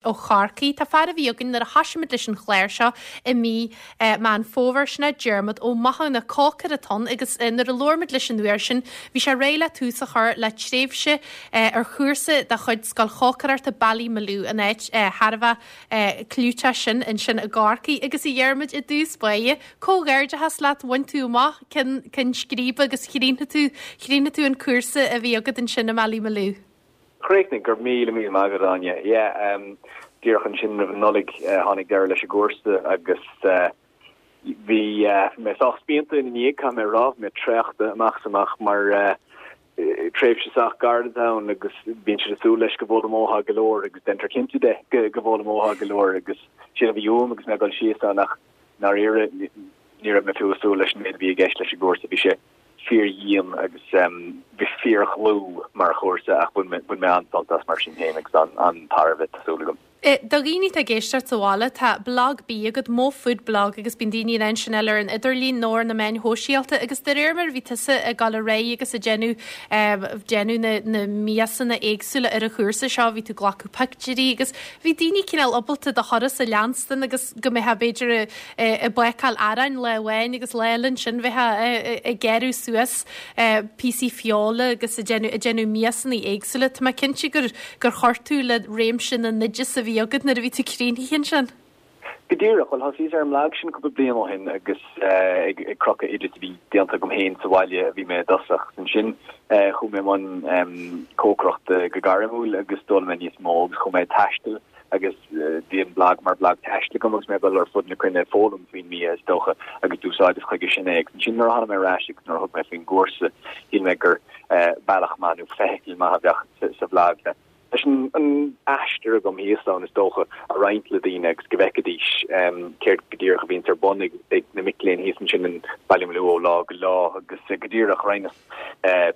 Ó Chorcaigh. Tá fear a bhí againn nuair a thoisigh muid leis an chlár seo i mí Meán Fómhair, sin é Diarmuid Ó Mathúna, cócaire atá ann agus nuair a labhair muid leis an uair sin bhí sé réidh le tús a chur le tréimhse ar chúrsa de chuid Scoil Chócaireachta Ballymaloe, an áit thar a bheith clúiteach sin ansin i gCorcaigh. Agus a Dhiarmuid, i dtús báire, comhghairdeachas leat, bhain tú amach ceann scríbe agus chríochnaigh tú, chríochnaigh tú an cúrsa a bhí agat ansin i mBallymaloe. Chríochnaigh, go raibh míle míle maith agat Áine. Yeah, díreach ansin roimh an Nollaig tháinig deireadh leis an gcúrsa agus bhí mé sách spíonta ina ndiaidh, caithfidh mé a rá, bhí mé traochta amach is amach mar tréimhse sách gairid atá ann agus bíonn siad ag súil leis go bhfoghlaimeofá go leor agus déantar cinnte de go bhfoghlaimeofá go leor agus sin a bhí uaim agus mé ag dul síos ann ach i ndáiríre ní raibh mé fiú ag súil leis an méid a bhí i gceist leis an gcúrsa, bhí sé fíordhian agus bhí fíordhlúth mar chúrsa ach bhain mé an-sult as mar sin féin agus an-tairbhe, tá súil agam. Do dhaoine atá ag éisteacht sa bhaile, tá blag bídh agat, Mo Food Blog, agus bíonn daoine in ann sin a fháil ar an idirlíon nó ar na meáin shóisialta agus de réir mar a bhí tusa ag dul ar aghaidh agus ag déanamh déanamh na na miasanna éagsúla ar an chúrsa seo, bhí tú ag glacadh pictiúirí agus bhí daoine cineál ábalta do thuras a leanstan agus go mbeifeá b'fhéidir ag bácáil aráin lá amháin agus lá eile ansin bheifeá ag gearradh suas píosaí feola agus ag déanamh ag déanamh miasanna éagsúla. Tá mé cinnte gur gur chuir tú le réimse na n-oideas a bhí agat nuair a bhí tú críochnaithe ansin. Go díreach, bhuel thosaíos ar an mblag sin cúpla bliain ó shin agus ag crochadh oideas a bhí déanta agam féin sa bhaile a bhí mé i dtosach. Ansin chuaigh mé i mbun cócaireachta go gairmiúil agus d'fhoghlaim mé níos mó agus chuaigh mé ag taisteal agus bhí an blag mar bhlag taistil agam agus mé ag dul ar fud na cruinne ag foghlaim faoin mbia is dócha agus d'úsáideas chuige sin é agus ansin nuair a tháinig mé ar ais agus nuair a thug mé faoin gcúrsa shíl mé gur bealach maith nó feithicil maith a bheadh sa bhlag le leis an aistear agam thíos ann is dócha a roinnt le daoine agus go bhfeicfidís céard go díreach a bhíonns ar bun ag na mic léinn thíos ansin in Ballymaloe ó lá go lá agus go díreach roinneas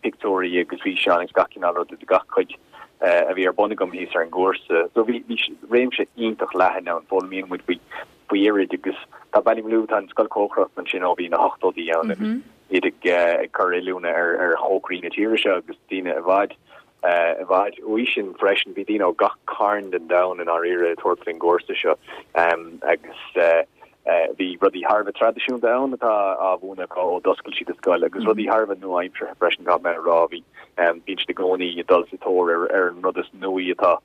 pictiúirí agus físeáin agus gach cineál ruda de gach cuid a bhí ar bun agam thíos ar an gcúrsa. So bhí réimse iontach leathan ann, foghlaimíonn muid faoi faoi oiread agus tá Ballymaloe, tá an scoil cócaireachta ansin ó bhí na hochtóidí ann agus iad ag ag cur oiliúna ar ar chócairí na tíre seo agus daoine i bhfad i bhfad uaidh sin freisin. Bhí daoine ó gach cearn den domhan i ndáiríre ag tabhairt faoin gcúrsa seo agus Bhí rudaí thar a bheith traidisiúnta ann atá á mhúineadh acu ó d'oscail siad an scoil agus rudaí thar a bheith nua-aimseartha freisin, caithfidh mé a rá. Bhí, bíonn siad i gcónaí ag dul sa tóir ar ar an rud is nuaí atá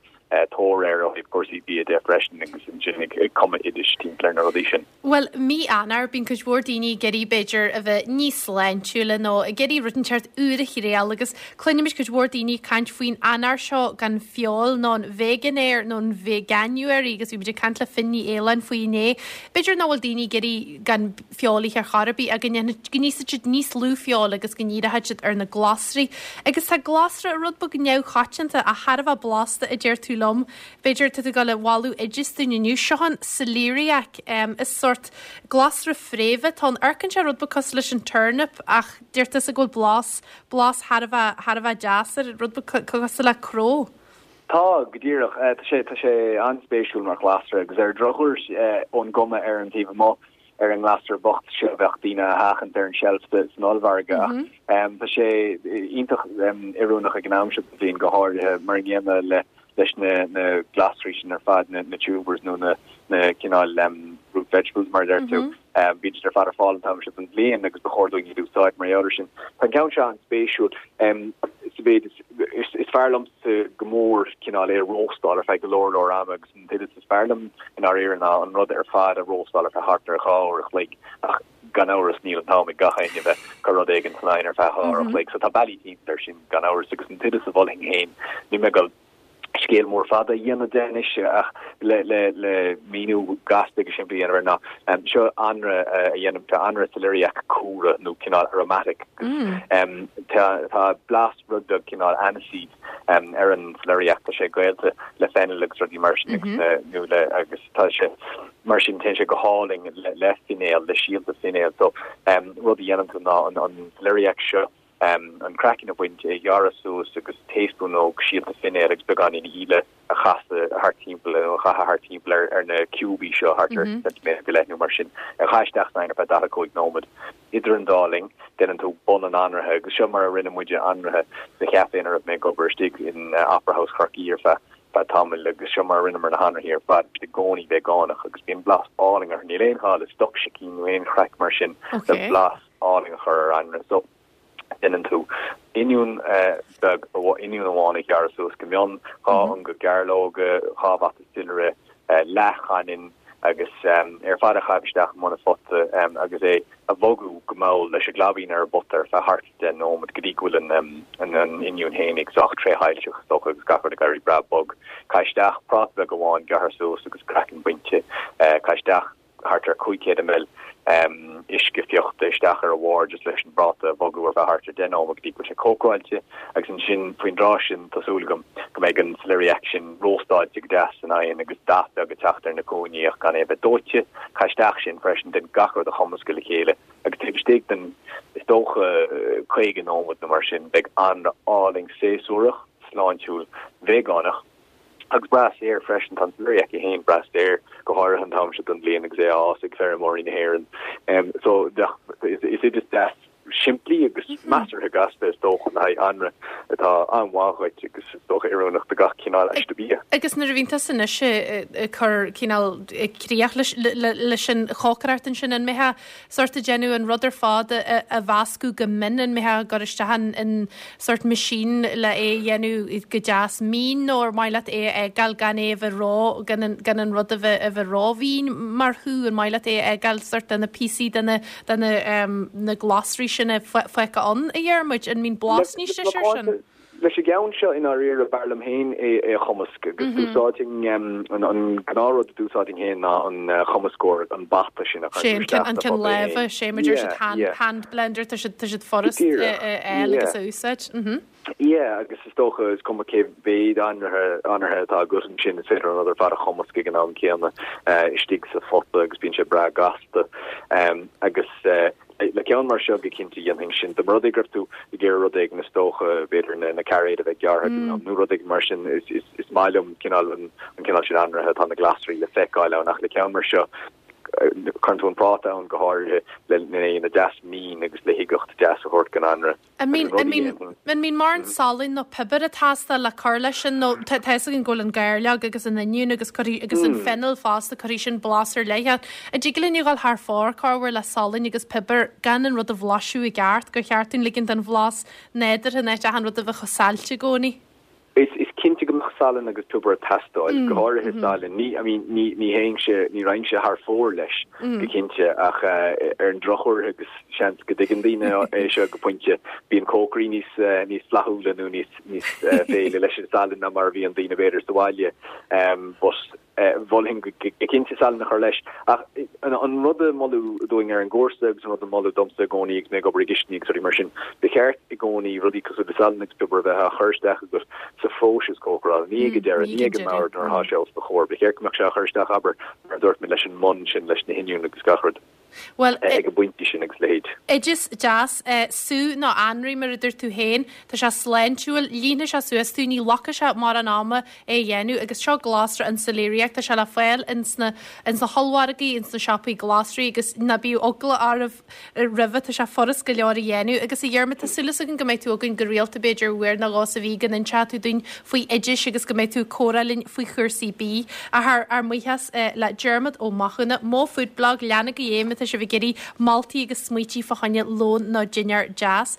tóir air ó thaobh cúrsaí bia de freisin agus ansin ag ag cumadh oidis timpeall ar na rudaí sin. Bhuel, mí Eanáir, bíonn cuid mhór daoine ag iarraidh, b'fhéidir, a bheith níos sláintiúla nó ag iarraidh rud inteacht úr a thriail agus cluinimid cuid mhór daoine ag caint faoin Eanáir seo gan feoil nó an Veganuary nó an Veganuary agus bhí muid ag caint le Finn Ní Fhaoláin faoi inné. B'fhéidir nach bhfuil daoine ag iarraidh gan feoil a ithe ar chor ar bith ach go ndéanfaidh, go n-íosfaidh siad níos lú feoil agus go ndíreoidh siad ar na glasraí. Agus tá glasra rud beag neamhchoitianta ach thar a bheith blasta a deir tú liom. B'fhéidir tá tú ag dul a bhailiú oideas dúinn inniu. Seo an celeriac. Is sórt glasra fréimhe atá ann. Amharcann sé rud beag cosúil leis an turnip ach deir tusa go bhfuil blas, blas thar a bheith, thar a bheith deas air, rud beag cosúil le cró. Tá, go díreach. Tá sé, tá sé an-spéisiúil mar ghlasra agus ar an drochuair, ón gcuma ar an taobh amuigh, ar an nglasra bocht seo bheadh daoine á sheachaint ar an tseilf san ollmhargadh ach tá sé iontach oiriúnach ag an am seo den bhliain go háirithe mar an gcéanna le leis na na glasraí sin ar fad na na tubers nó na na cineál root vegetables mar a deir tú. Bíonn siad ar fad ar fáil an t-am seo den bhliain agus ba chóir dúinn iad a úsáid mar gheall air sin. Tá an ceann seo an-spéisiúil sa mhéid is is fearr liomsa go mór cineál é a róstáil ar feadh go leor leor ama agus an t-oideas is fearr liom i ndáiríre ná an rud ar fad a róstáil ar feadh thart ar 2 uair a chloig ach gan amhras níl an t-am ag gach éinne bheith ag cur rud éigin san oigheann ar feadh 2 uair a chloig so tá bealaí timpeall air sin gan amhras agus an t-oideas a mholfainn féin níl mé ag dul scéal mór fada a dhéanamh de anois ach le le le míniú gasta agus simplí a dhéanamh air ná seo anraith a dhéanaim seo anraith celeriac cumhra nó cineál aromatic agus tá tá blas rud beag cineál aniseed ar an celeriac tá sé gaolta le fennel agus rudaí mar sin agus nó le agus tá sé mar sin téann sé go hálainn le le finéal le síolta finéil so rud a dhéanann tú ná an an celeriac seo an craiceann a bhaint é a ghearradh suas agus taespúnóg síolta finéil agus beagáinín íle a chasadh thart timpeall nó a chaitheamh thart timpeall ar ar na ciúbaí seo thart ar ceintiméadar go leith nó mar sin a chaitheamh isteach san oigheann ar feadh 45 nóiméad. Idir an dá linn, déanann tú bun an anraithe, agus seo mar a rinne muide anraithe sa chaife ina raibh mé ag obair istigh in Opera House Chorcaí ar feadh. feadh tamaill agus seo mar a rinneamar na hanraithí ar fad, i gcónaí veigeánach agus bíonn blas álainn orthu, níl aon ghá le stoc sicín nó aon chraic mar sin le blas álainn a chur ar anraith. So, déanann tú oinniún beag, oinniún amháin a ghearradh suas go mion, 2 ionga gairleoga, 2 bhata soilire, leathchaininn agus ar fad a chaitheamh isteach i mbun an phota agus é a bhogadh go mall leis an gclaibín ar an bpota ar feadh thart 10 nóiméad go dtí go bhfuil an oinniún fhéinig sách tréshoilseach is dócha agus gach rud ag éirí breá bog. Caith isteach práta beag amháin gearrtha suas agus craiceann bainte. Caith isteach thart ar 500 ml uisce fiuchta isteach ar a bharr just leis an bpráta a bhogadh ar feadh thart ar 10 nóiméad go dtí go bhfuil sé cócaráilte agus ansin faoin dtráth sin tá súil agam go mbeidh an celeriac sin róstáilte go deas san oigheann agus dath beag ag teacht ar na cúinní ach gan é a bheith dóite. Caith isteach sin freisin, déan gach rud a chumascadh le chéile agus taobh istigh den, is dócha, 50 nóiméad nó mar sin beidh anraith álainn séasúrach, sláintiúil, veigeánach. Agus breá saor freisin, tá an celeriac é féin breá saor, go háirithe an t-am seo den bhliain agus é á fhás ag feirmeoirí na hÉireann. So, is oideas deas simplí agus measartha gasta is dócha le haghaidh anraith atá an-mhaith dhuit agus is dócha oiriúnach do gach cineál aiste bia. Agus nuair a bhíonn tusa anois ag cur cineál críoch leis an chócaireacht ansin, an mbeifeá sórt ag déanamh an rud ar fad a mheascadh go mion, an mbeifeá ag cur isteach in sórt machine le é a dhéanamh go deas mín nó ar mhaith leat é a fhágáil gan é a bheith ró, gan an, gan an rud a bheith, a bheith rómhín mar shú, an maith leat é a fhágáil sórt de na píosaí de na, de na, na glasraí sin a fágtha ann, a Dhiarmuid, an mbíonn blas níos deise air sin? Leis an gceann seo, i ndáiríre, b'fhearr liom féin é a chumasc agus d'úsáidfinn an gnáthrud a d'úsáidfinn féin ná an cumascóir, an bata sin a chuireann tú isteach sa phota é féin. An ceann láimhe, sé mar deir siad hand blender, tá siad tá siad furast a fháil agus a úsáid. Yeah, agus is dócha, is cuma cé mhéad anraithe anraithe atá agat ansin, is féidir an rud ar fad a chumasc ag an am céanna istigh sa phota agus bíonn sé breá gasta. Agus. Le ceann mar seo, go cinnte dhéanfainn sin. Dá mba rud é go raibh tú ag iarraidh rud éigin is dócha, b'fhéidir na cairéid a bheith gearrtha go mion nó rud éigin mar sin, is maith liom cineál an cineál sin anraithe, tá na glasraí le feiceáil ann ach le ceann mar seo, cuireann tú an práta ann go háirithe le é a dhéanamh deas mín agus le huigeacht deas a thabhairt don anraith. An mbíonn mórán salainn nó piobair ag teastáil le cur leis sin nó tá fhios againn go bhfuil an gairleog agus an oinniún agus cuirfidh agus an fennel fosta cuirfidh sin blas ar leith ach an dtig linn a dhul thar fóir corruair le salainn agus piobar gan an rud a bhlaiseadh i gceart gur cheart dúinn ligint don bhlas nádúrtha in áit achan rud a bheith chomh saillte i gcónaí? Is cinnte go mbeadh salann agus piobar ag teastáil, go háirithe salann. Ní, I mean, ní, ní théinnse, ní raghainnse thar fóir leis, go cinnte, ach ar an drochuair, agus seans go dtuigeann daoine é seo go pointe, bíonn cócairí níos, níos flaithiúla nó níos, níos féile leis an salann ná mar a bhíonn daoine b'fhéidir sa bhaile. But. Mholfainn go cinnte salann a chur leis. Ach an rud a moladh dúinn ar an gcúrsa agus an rud a moladh domsa i gcónaí agus mé ag obair i gcistiní agus rudaí mar sin, ba cheart i gcónaí rudaí cosúil le salann agus piobar a bheith á chur isteach agat sa phróiseas cócarála, ní ag an deireadh, ní ag an mbord nuair atá sé os do chomhair. Ba cheart go mbeadh sé á chur isteach, abair, mar a dúirt mé, leis an mbun sin, leis na hoinniúin agus gach rud. Bhuel, ag an bpointe sin agus a leithéid. Oideas deas, sú nó anraith mar a dúirt tú féin. Tá sé sláintiúil, líonfaidh sé suas tú, ní ghlacfaidh sé mórán ama é a dhéanamh agus seo glasra an celeriac, tá sé le fáil ins na ins na hollmhargaí, ins na siopaí glasraí agus ná bíodh eagla oraibh roimhe, tá sé furast go leor a dhéanamh. Agus a Dhiarmaid, tá súil againn go mbeidh tú againn go rialta b'fhéidir uair nó dhó sa mhí go n-inseoidh tú dúinn faoi oidis agus go mbeidh tú ag comhrá linn faoi chúrsaí bídh. Ach ár mbuíochas le Diarmaid Ó Mathúna, Mo Food Blog, leanaigí é má tá sibh ag iarraidh moltaí agus smaoití fá choinne lón nó dinnéar deas.